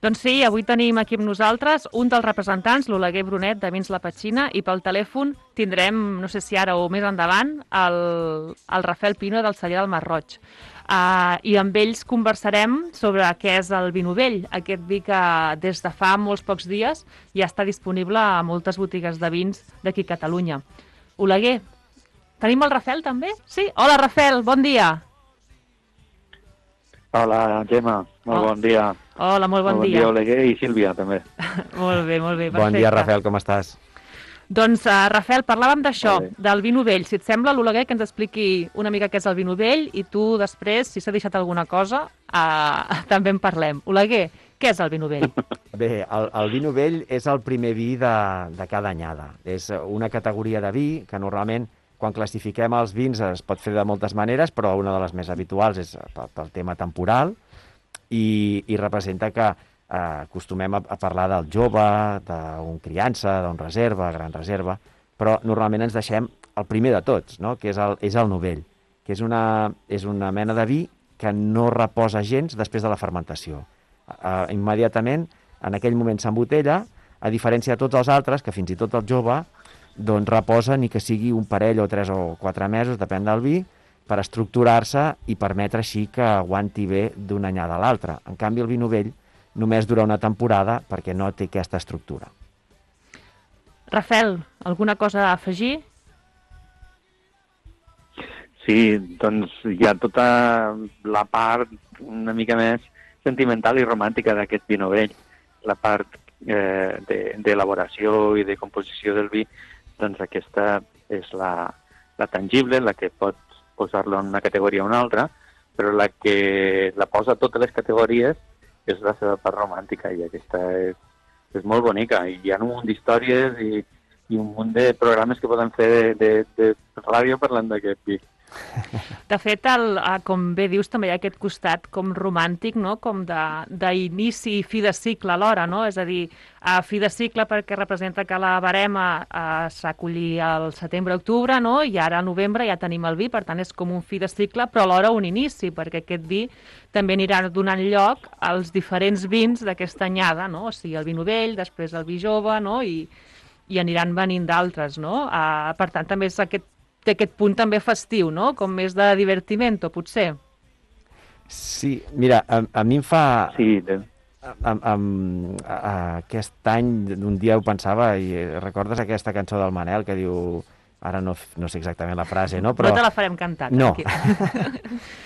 Doncs sí, avui tenim aquí amb nosaltres un dels representants, l'Oleguer Brunet de Vins La Petxina, i pel telèfon tindrem, no sé si ara o més endavant, el Rafael Pino del celler del Masroig. I amb ells conversarem sobre què és el vi novell, aquest vi que des de fa molts pocs dies ja està disponible a moltes botigues de vins d'aquí a Catalunya. Oleguer, tenim el Rafael també? Sí? Hola Rafael, bon dia. Hola, Gemma, molt bon dia. Hola, molt bon Molt bon dia. dia, Oleguer i Sílvia, també. Molt bé, perfecte. Bon dia, Rafael, com estàs? Doncs, Rafael, parlàvem d'això, Molt bé. del vi novell. Si et sembla, l'Oleguer, que ens expliqui una mica què és el vi novell i tu després, si s'ha deixat alguna cosa, també en parlem. Oleguer, què és el vi novell? Bé, el vi novell és el primer vi de cada anyada. És una categoria de vi que normalment, quan classifiquem els vins, es pot fer de moltes maneres, però una de les més habituals és pel tema temporal i representa que acostumem a parlar del jove, d'un criança, d'un reserva, gran reserva, però normalment ens deixem el primer de tots, no? Que és el novell, que és una mena de vi que no reposa gens després de la fermentació. Immediatament, en aquell moment s'embotella, a diferència de tots els altres, que fins i tot el jove doncs reposa ni que sigui un parell o 3 o 4 mesos, depèn del vi, per estructurar-se i permetre així que aguanti bé d'una anyada a l'altra. En canvi, el vi novell només dura una temporada perquè no té aquesta estructura. Rafael, alguna cosa a afegir? Sí, doncs hi ha tota la part una mica més sentimental i romàntica d'aquest vi novell. La part d'elaboració i de composició del vi, doncs aquesta és la tangible, la que pot posar-lo en una categoria o una altra, però la que la posa a totes les categories és la seva part romàntica, i aquesta és molt bonica. I hi ha un munt d'històries i un munt de programes que poden fer de ràdio parlant d'aquest vi. De fet, com bé dius, també hi ha aquest costat com romàntic, no? Com d'inici i fi de cicle alhora, no? És a dir, fi de cicle perquè representa que la verema s'acolli al setembre-octubre, no? I ara a novembre ja tenim el vi, per tant és com un fi de cicle, però alhora un inici, perquè aquest vi també anirà donant lloc als diferents vins d'aquesta anyada, no? O sigui, el vi novell, després el vi jove, no? I aniran venint d'altres, no? Per tant, també és té aquest punt també festiu, no? Com més de divertimento, potser. Sí, mira, a mi em fa... Sí, aquest any, un dia ho pensava, i recordes aquesta cançó del Manel que diu... Ara no sé exactament la frase, no? Però... No te la farem cantar, no.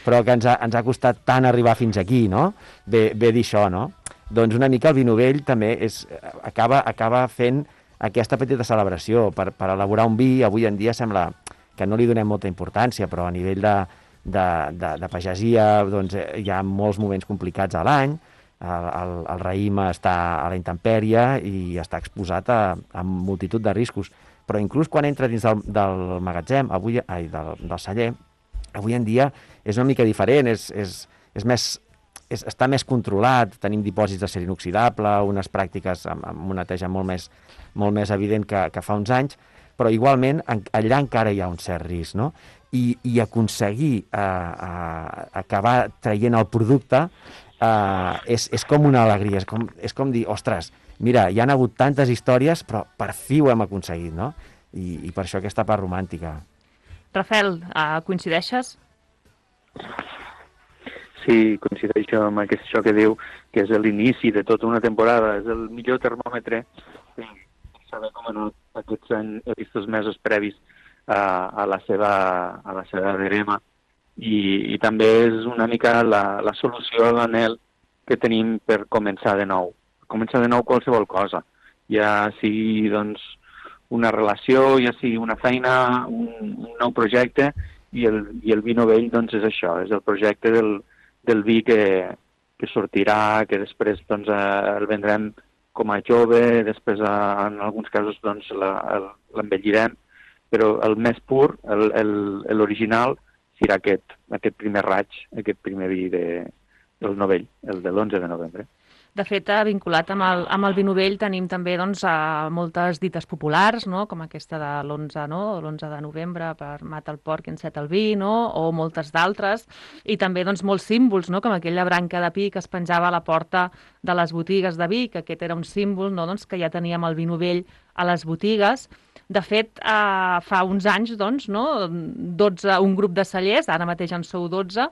Però que ens ha costat tant arribar fins aquí, no? Ve dir això, no? Doncs una mica el vi novell també acaba fent aquesta petita celebració per elaborar un vi. Avui en dia sembla que no li donem molta importància, però a nivell de pagesia doncs, hi ha molts moments complicats a l'any, el raïm està a la intempèrie i està exposat a multitud de riscos, però inclús quan entra dins del magatzem, del celler, avui en dia és una mica diferent, està més controlat, tenim dipòsits d'acer inoxidable, unes pràctiques amb una neteja molt més evident que fa uns anys, però igualment allà encara hi ha un cert risc, no? I aconseguir acabar traient el producte és com una alegria, és com dir, ostres, mira, hi han hagut tantes històries, però per fi ho hem aconseguit, no? I per això aquesta part romàntica. Rafael, coincideixes? Sí, coincideixo amb això que diu, que és l'inici de tota una temporada, és el millor termòmetre per saber com han anat aquests mesos previs a la seva verema. I també és una mica la solució a l'anhel que tenim per començar de nou. Començar de nou qualsevol cosa, ja sigui doncs, una relació, ja sigui una feina, un nou projecte, i el vi novell doncs, és això, és el projecte del vi que sortirà, que després doncs, el vendrem com a jove, després en alguns casos doncs, l'envellirem, però el més pur, l'original, serà aquest primer raig, aquest primer vi del novell, el de l'11 de novembre. De fet, vinculat amb el vi novell tenim també doncs, moltes dites populars, no? Com aquesta de l'11, no? L'11 de novembre per mata el porc i enceta el vi, no? O moltes d'altres. I també doncs, molts símbols, no? Com aquella branca de pi que es penjava a la porta de les botigues de vi, que aquest era un símbol, no? Doncs, que ja teníem el vi novell a les botigues. De fet, fa uns anys, doncs, no? 12, un grup de cellers, ara mateix en sou 12,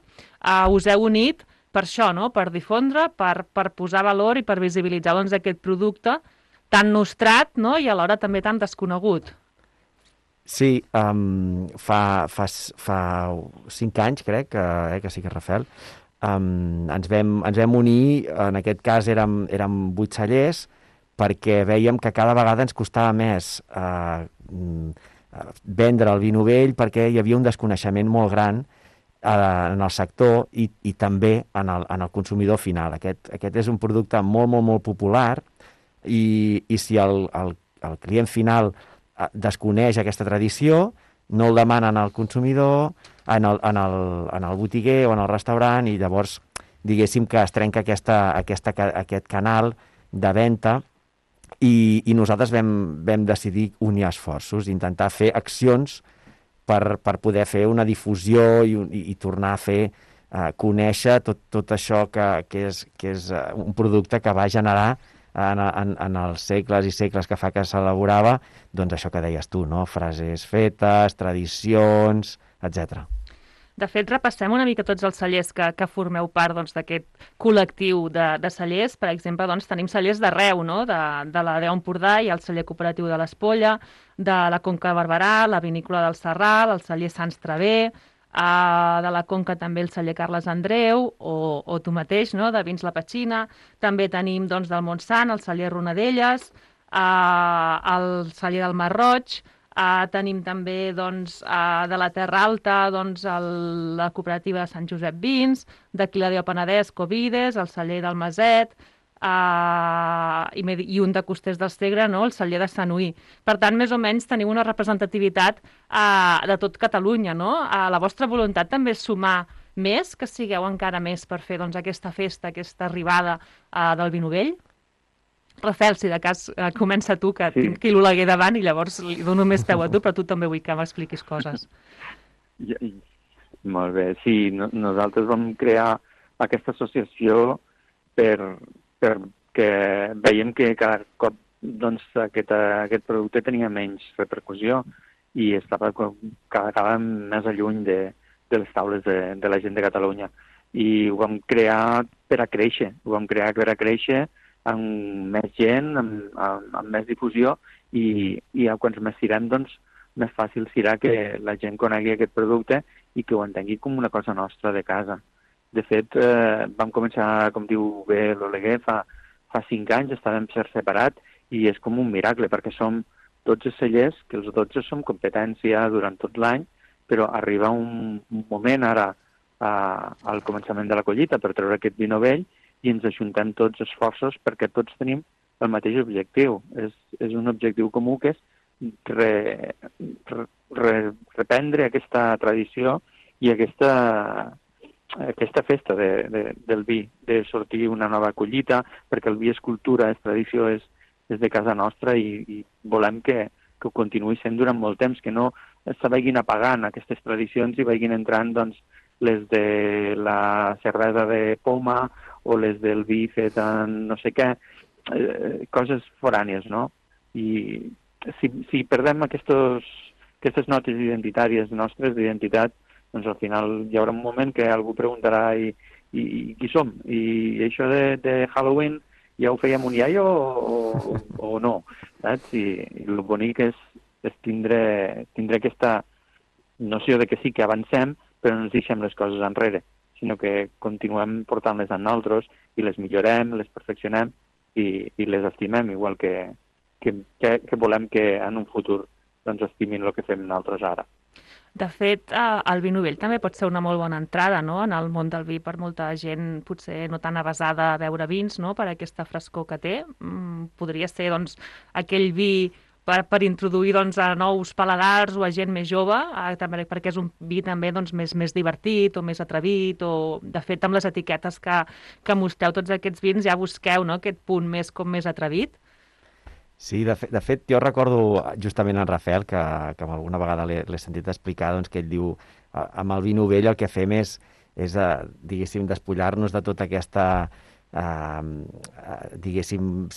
us heu unit per això, no? Per difondre, per posar valor i per visibilitzar doncs, aquest producte tan nostrat, no? I alhora també tan desconegut. Sí, fa 5 anys, crec, que sí que Rafael, ens vam unir, en aquest cas érem 8 cellers, perquè veiem que cada vegada ens costava més vendre el vi novell, perquè hi havia un desconeixement molt gran en el sector i també en el consumidor final. Aquest és un producte molt, molt, molt popular i si el client final desconeix aquesta tradició, no el demanen al consumidor, en el botiguer o en el restaurant, i llavors diguéssim que es trenca aquest canal de venda i nosaltres vam decidir unir esforços, intentar fer accions per poder fer una difusió i tornar a fer conèixer tot això que és un producte que va generar en els segles i segles que fa que s'elaborava, doncs això que deies tu, no? Frases fetes, tradicions, etc. De fet, repassem una mica tots els cellers que formeu part doncs, d'aquest col·lectiu de cellers. Per exemple, doncs, tenim cellers d'arreu, no? De la Deu Empordà i el celler cooperatiu de l'Espolla, de la Conca de Barberà, la vinícola del Serral, el celler Sants Traver, de la Conca també el celler Carles Andreu, o tu mateix, no? De Vins La Petxina. També tenim doncs, del Montsant, el celler Ronadelles, el celler del Mar Roig. Tenim també doncs, de la Terra Alta doncs, la cooperativa de Sant Josep Vins, d'aquí la Déu Penedès, Covides, el celler del Maset, i un de Costers del Segre, no? El celler de Sant Uí. Per tant, més o menys teniu una representativitat de tot Catalunya, no? La vostra voluntat també és sumar més, que sigueu encara més per fer doncs, aquesta festa, aquesta arribada del vi novell? Rafael, si de cas comença tu, que tinc aquí l'Oleguer davant i llavors li dono més peu a tu, però tu també vull que m'expliquis coses. Molt bé, sí, nosaltres vam crear aquesta associació perquè veiem que cada cop doncs, aquest producte tenia menys repercussió i estava cada vegada més lluny de les taules de la gent de Catalunya. I ho vam crear per a créixer, amb més gent, amb més difusió i quan més tirem, doncs, més fàcil serà que la gent conegui aquest producte i que ho entengui com una cosa nostra de casa. De fet, vam començar, com diu bé l'Oleguer, fa 5 anys, estàvem separats i és com un miracle, perquè som 12 cellers, que els 12 som competència durant tot l'any, però arriba un moment ara al començament de la collita per treure aquest vi novell i ens ajuntem tots esforços perquè tots tenim el mateix objectiu. És un objectiu comú que és reprendre aquesta tradició i aquesta festa del vi, de sortir una nova collita, perquè el vi és cultura, és tradició, és de casa nostra i volem que ho continuï sent durant molt temps, que no se vagin apagant aquestes tradicions i vagin entrant doncs, les de la cervesa de poma o les del vi fet en no sé què, coses forànies, no? I si perdem aquestes notes identitàries nostres, d'identitat, doncs al final hi haurà un moment que algú preguntarà i qui som? I això de Halloween ja ho fèiem un iaio o no? Saps? I el bonic és tindre aquesta noció de que sí que avancem, però no ens deixem les coses enrere, sinó que continuem portant-les amb nosaltres i les millorem, les perfeccionem i les estimem, igual que volem que en un futur doncs, estimin el que fem nosaltres ara. De fet, el vi novell també pot ser una molt bona entrada, no?, en el món del vi per molta gent, potser no tan avesada a beure vins, no?, per aquesta frescor que té. Podria ser, doncs, aquell vi per introduir doncs, a nous paladars o a gent més jove, també, perquè és un vi també doncs, més divertit o més atrevit, o de fet amb les etiquetes que mostreu tots aquests vins ja busqueu, no?, aquest punt més atrevit. Sí, de fet, jo recordo justament en Rafael, que alguna vegada l'he sentit explicar, doncs, que ell diu, amb el vi novell el que fem és diguéssim, despullar-nos de tota aquesta, diguéssim,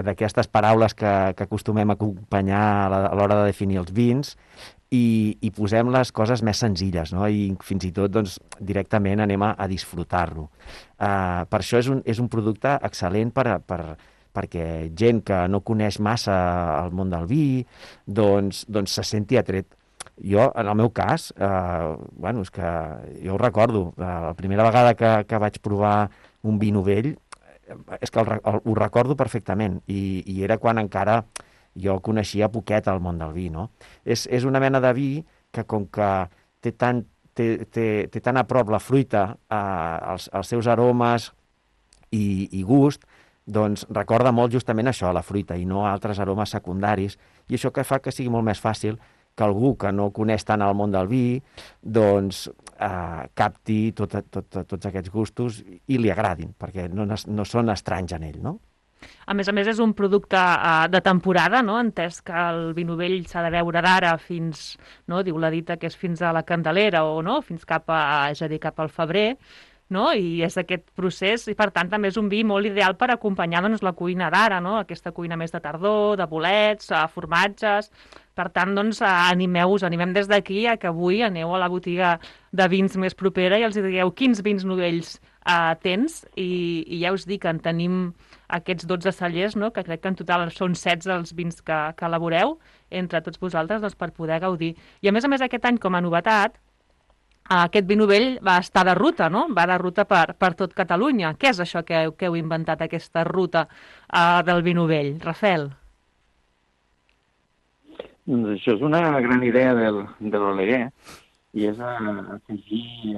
d'aquestes paraules que acostumem a acompanyar a l'hora de definir els vins, i posem les coses més senzilles, no? I fins i tot doncs, directament anem a disfrutar-lo. Per això és un producte excel·lent perquè gent que no coneix massa el món del vi doncs se senti atret. Jo, en el meu cas, és que jo ho recordo, la primera vegada que vaig provar un vi novell, és que ho recordo perfectament, i era quan encara jo coneixia poquet el món del vi, no? És una mena de vi que, com que té tan a prop la fruita, els seus aromes i gust, doncs recorda molt justament això, la fruita, i no altres aromes secundaris, i això que fa que sigui molt més fàcil que algú que no coneix tant el món del vi, doncs capti tots aquests gustos i li agradin, perquè no són estranys en ell, no? A més, és un producte de temporada, no? Entès que el vi novell s'ha de beure d'ara fins, no? Diu la dita que és fins a la Candelera, o no? Fins cap al febrer, no? I és aquest procés, i per tant també és un vi molt ideal per acompanyar doncs, la cuina d'ara, no? Aquesta cuina més de tardor, de bolets, formatges. Per tant, doncs, animem des d'aquí a que avui aneu a la botiga de vins més propera i els digueu quins vins novells tens, i ja us dic que en tenim aquests 12 cellers, no? Que crec que en total són 16 els vins que elaboreu entre tots vosaltres, doncs, per poder gaudir. I a més, aquest any, com a novetat, aquest vi novell va estar de ruta, no? Va de ruta per tot Catalunya. Què és això que heu inventat, aquesta ruta del vi novell? Rafael? Doncs això és una gran idea de l'Oleguer, i és afegir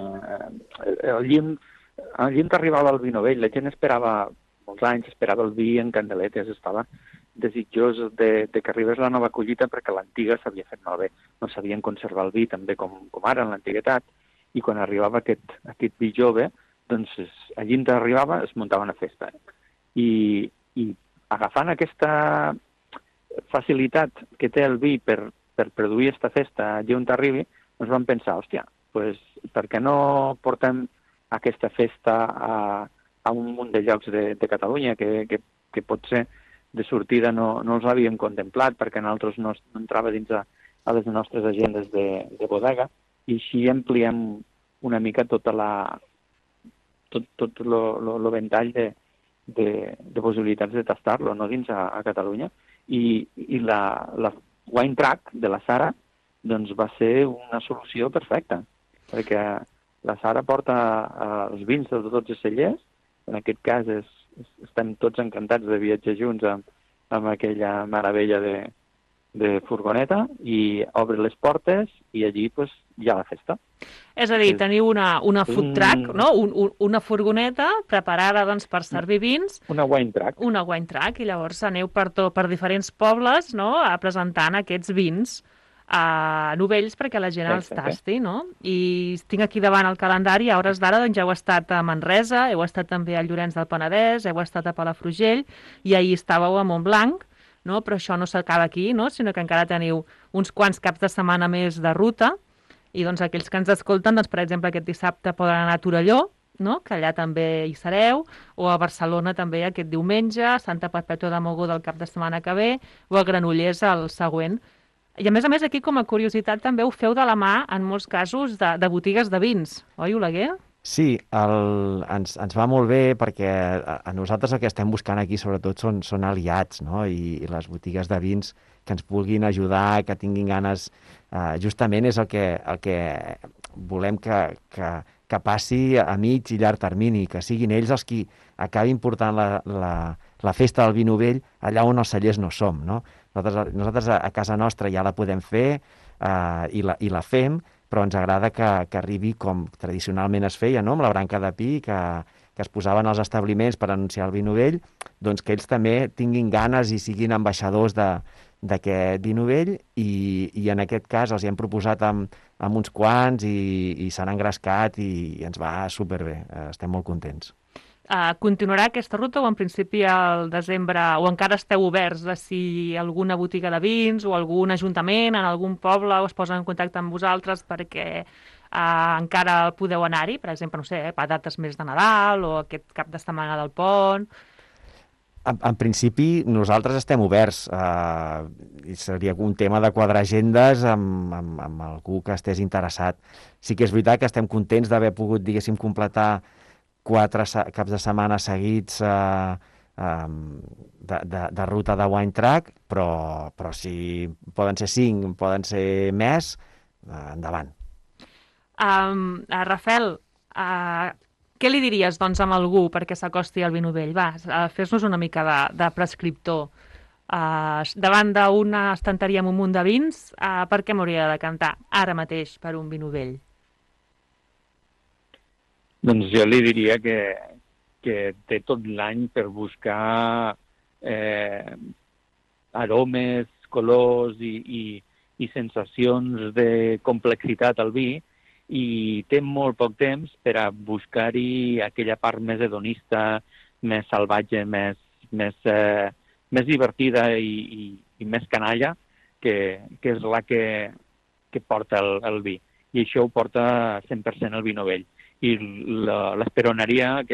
el llim arribava al vi novell. La gent esperava molts anys, esperava el vi en candeletes, estava desitjós de que arribés la nova collita, perquè l'antiga s'havia fet malbé. No sabien conservar el vi també com ara en l'antiguitat, i quan arribava aquest vi jove, doncs allí on arribava es muntava una festa. I agafant aquesta facilitat que té el vi per produir aquesta festa allí on arribi, ens vam pensar, hòstia, pues, per què no portem aquesta festa a un munt de llocs de Catalunya que potser de sortida no els havíem contemplat, perquè nosaltres no entrava dins a les nostres agendes de bodega, i així ampliem una mica tot el ventall de possibilitats de tastar-lo, no, dins a Catalunya. I la Wine Track de la Sara doncs va ser una solució perfecta, perquè la Sara porta els vins de tots els cellers. En aquest cas estem tots encantats de viatjar junts amb aquella meravella de furgoneta, i obre les portes i allí pues, hi ha la festa. És a dir, teniu una food truck, no? Una furgoneta preparada doncs, per servir vins. Una wine track. Una wine track, i llavors aneu per diferents pobles, no?, presentant aquests vins novells perquè la gent els tasti, no? I tinc aquí davant el calendari, a hores d'ara doncs, ja heu estat a Manresa, heu estat també a Llorenç del Penedès, heu estat a Palafrugell, i ahir estàveu a Montblanc, no? Però això no s'acaba aquí, no? Sinó que encara teniu uns quants caps de setmana més de ruta, i doncs aquells que ens escolten, doncs, per exemple, aquest dissabte poden anar a Torelló, no? Que allà també hi sereu, o a Barcelona també aquest diumenge, a Santa Perpètua de Mogoda el cap de setmana que ve, o a Granollers el següent. I a més, aquí, com a curiositat, també ho feu de la mà, en molts casos, de botigues de vins, oi, Oleguer? Sí, ens va molt bé, perquè a nosaltres el que estem buscant aquí, sobretot, són aliats, no? I les botigues de vins que ens vulguin ajudar, que tinguin ganes, justament és el que volem que passi a mig i llarg termini, que siguin ells els qui acabin portant la festa del vi novell allà on els cellers no som, no? Nosaltres a casa nostra ja la podem fer i la fem, però ens agrada que arribi com tradicionalment es feia, no? Amb la branca de pi, que que es posaven als establiments per anunciar el vi novell, doncs que ells també tinguin ganes i siguin ambaixadors d'aquest vi novell i en aquest cas els hi hem proposat amb uns quants i s'han engrescat i ens va superbé, estem molt contents. Continuarà aquesta ruta o en principi al desembre, o encara esteu oberts de si alguna botiga de vins o algun ajuntament en algun poble es posa en contacte amb vosaltres perquè encara podeu anar-hi, per exemple, no sé, a dates més de Nadal o aquest cap de setmana del pont? En principi, nosaltres estem oberts. I seria un tema de quadrar agendes amb algú que estés interessat. Sí que és veritat que estem contents d'haver pogut, diguéssim, completar 4 caps de setmana seguits de ruta de Wine Track, però si poden ser 5, poden ser més, endavant. Rafael, què li diries doncs a algú perquè s'acosti al vi novell? Va, fes-nos una mica de prescriptor. Davant d'una estanteria amb un munt de vins, per què m'hauria de decantar ara mateix per un vi novell? Doncs jo li diria que té tot l'any per buscar aromes, colors i sensacions de complexitat al vi, i té molt poc temps per a buscar-hi aquella part més hedonista, més salvatge, més divertida i més canalla, que és la que porta el vi. I això ho porta 100% el vi novell. I l'esperonaria a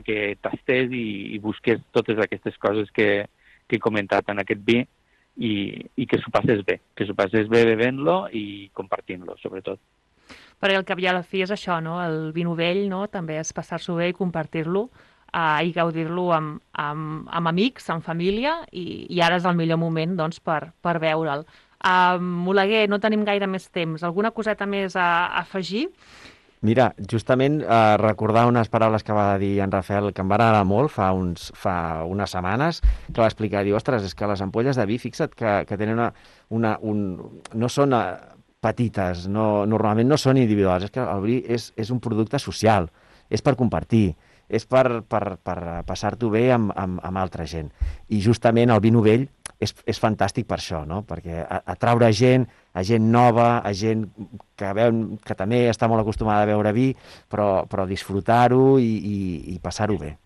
que tastés i busqués totes aquestes coses que he comentat en aquest vi i que s'ho passés bé bevent-lo i compartint-lo, sobretot. Perquè al cap i a la fi és això, no? El vi novell, no? També és passar-s'ho bé i compartir-lo i gaudir-lo amb amics, amb família, i ara és el millor moment doncs, per veure'l. Oleguer, no tenim gaire més temps. Alguna coseta més a afegir? Mira, justament recordar unes paraules que va dir en Rafael, que em van agradar molt fa unes setmanes, que va explicar, diu, ostres, és que les ampolles de vi, fixa't que tenen no són petites, normalment no són individuals, és que el vi és un producte social, és per compartir, és per passar-t'ho bé amb altra gent. I justament el vi novell és fantàstic per això, no? Perquè atraure gent nova, a gent que també està molt acostumada a beure vi, però disfrutar-ho i passar-ho bé.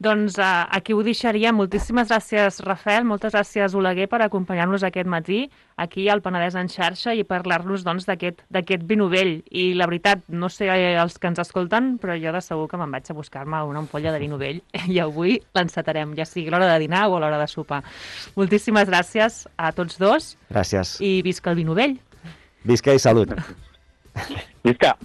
Doncs aquí ho deixaria. Moltíssimes gràcies, Rafael, moltes gràcies, Oleguer, per acompanyar-nos aquest matí aquí al Penedès en xarxa i parlar-nos doncs, d'aquest vi novell. I la veritat, no sé els que ens escolten, però jo de segur que me'n vaig a buscar-me una ampolla de vi novell i avui l'encetarem, ja sigui a l'hora de dinar o a l'hora de sopar. Moltíssimes gràcies a tots dos. Gràcies. I visca el vi novell. Visca i salut. Visca!